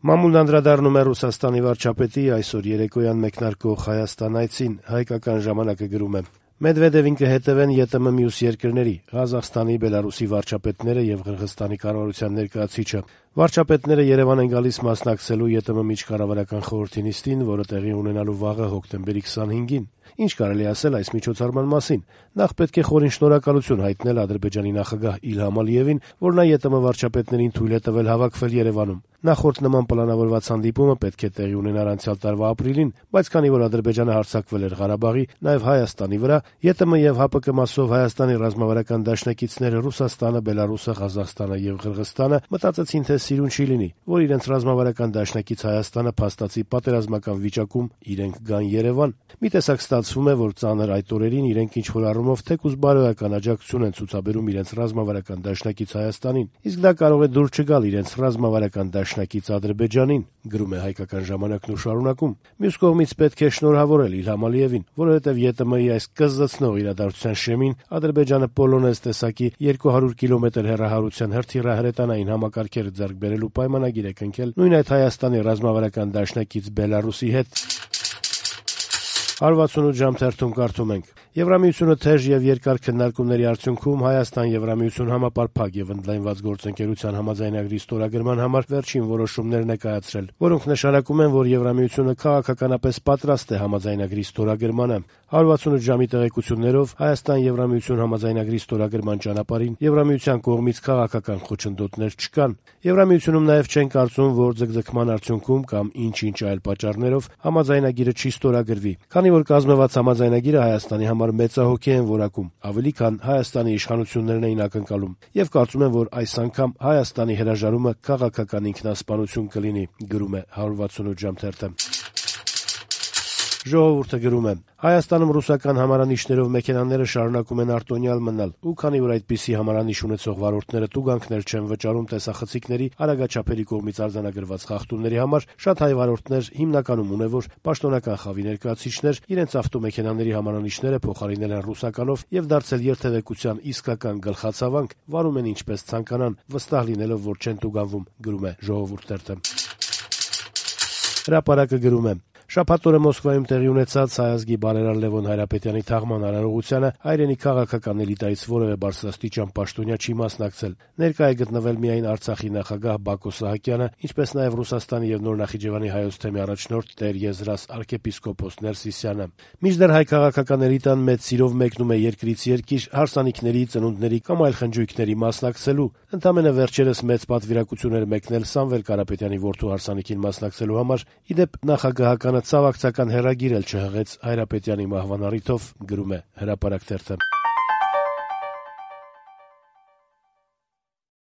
Մամուլն անդրադառնում է Ռուսաստանի վարչապետի այսօր երեկոյան մեկնարկող Հայաստան այցին։ Հայկական ժամանակը գրում է. Մեդվեդևին կհետևեն ԵՏՄ մյուս երկրների՝ Ղազախստանի, Բելարուսի վարչապետները եւ Ղրղըզստանի կառավարության ներկայացուցիչը։ Վարչապետները Երևան են գալիս մասնակցելու ԵՏՄ միջկառավարական խորհրդի նիստին, որը տեղի ունենալու վաղը հոկտեմբերի 25-ին։ Ինչ կարելի ասել այս միջոցառման մասին։ Նախ պետք է խորին շնորհակալություն հայտնել Ադրբեջանի նախագահ Իլհամ Ալիևին, որ նա ԵՏՄ վարչապետներին թույլ է տվել հավաքվել Երևանում։ Նախորդ նման պլանավորված հանդիպումը պետք է տեղի ունենար անցյալ տարվա ապրիլին, բայց քանի որ Ադրբեջանը հարձակվել էր Ղարաբաղի, նաև Հայաստանի վրա, ԵՏՄ եւ ՀԱՊԿ մասով Հայաստանի ռազմավարական դաշնակիցները Ռուսաստանը, Բելարուսը, Ղազախստանը եւ Ղրղըզստանը մտածեցին, թե սիրուն չի լինի, որ իրենց ռազմավարական դաշնակից Հայաստանը փաստացի պատերազմական վիճակում իրենք գան Երևան։ Մի տեսակ ստացվում է, որ ծանր այդ օրերին իրենք ինչ-որ առումով թեկուզ բարոյական աջակցություն են ցուցաբերում իրենց ռազմավարական դաշնակից Հայաստանին, իսկ դա կարող է դուր չգալ իրենց ռազմավարական դաշնակից Ադրբեջանին, գրում է Հայկական ժամանակն ու շարունակում։ Մյուս կողմից պետք է շնորհավորել Իլհամ Ալիևին, որովհետև ԵՏՄ-ի այս կզզցնող իրադարձության շեմին Ադրբեջանը պոլոնեզ տեսակի 200 կիլոմետր հեռահարության հրթիռահրետանային համակարգեր ձեռք բերելու պայմանագիր է կնքել նույն այդ Հայաստանի ռազմավարական դաշնակից Բելարուսի հետ։ 168 ժամ թերթում կարդում ենք. Եվրամիությունը թեժ եւ երկար քննարկումների արդյունքում Հայաստան-Եվրամիություն համապարփակ եւ ընդլայնված գործընկերության համաձայնագրի ստորագրման համար վերջին որոշումներն է կայացրել, որոնք նշանակում են, որ Եվրամիությունը քաղաքականապես պատրաստ է համաձայնագրի ստորագրմանը։ 168 ժամի տեղեկություններով Հայաստան-Եվրամիություն համաձայնագրի ստորագրման ճանապարհին Եվրամիության կողմից քաղաքական խոչընդոտներ չկան։ Եվրամիությունում նաեւ չեն կարծում, որ ձգձգման արդյունքում կամ ինչ-ինչ այլ պատճառներով համաձայնագիրը չի ստորագրվի, քանի որ կազմված համաձայնագիրը Հայաստանի համար մեծահոգի են որակում, ավելի քան Հայաստանի իշխանություններն էին ակնկալում, եւ կարծում են, որ այս անգամ Հայաստանի հրաժարումը քաղաքական ինքնասպանություն կլինի, գրում է 168 ժամ թերթը։ Ժողովուրդը գրում է. Հայաստանում ռուսական համարանիշներով մեքենաները շարունակում են արտոնյալ մնալ, ու քանի որ այդպիսի համարանիշ ունեցող վարորդները տուգանքներ չեն վճարում տեսախցիկների արագաչափերի կողմից արձանագրված խախտումների համար, շատ հայ վարորդներ, հիմնականում ունևոր պաշտոնական խավի ներկայացուցիչներ, իրենց ավտոմեքենաների համարանիշները փոխարինել են ռուսականով եւ դարձել երթևեկության իսկական գլխացավանք, վարում են ինչպես ցանկանան, վստահ լինելով, որ չեն տուգանվում, գրում է Ժողովուրդ թերթը։ Հրապարակը գրում է. Շաբաթ օրը Մոսկվայում տեղի ունեցած հայ ազգի բարերար Լևոն Հայրապետյանի թաղման արարողությանը հայրենի քաղաքական էլիտայից որևէ բարձրաստիճան պաշտոնյա չի մասնակցել։ Ներկա է գտնվել միայն Արցախի նախագահ Բակո Սահակյանը, ինչպես նաև Ռուսաստանի եւ Նոր Նախիջևանի հայոց թեմի առաջնորդ Տեր Եզրաս arczepiskopos Ներսիսյանը։ Մինչդեռ հայ քաղաքական էլիտան մեծ սիրով մեկնում է երկրից երկիր հարսանիքների, ծնունդների կամ այլ խնջույքների մասնակցելու։ Ընդամենը վերջերս մեծ պատվիրակություն էր մեկնել Սամվել Կարապետյանի որդու հարսանիքին մասնակցելու համար, իդեպ նախագահական ցավակցական հեռագիր էլ չհղեց Հայրապետյանի մահվան առիթով, գրում է Հրապարակ թերթը։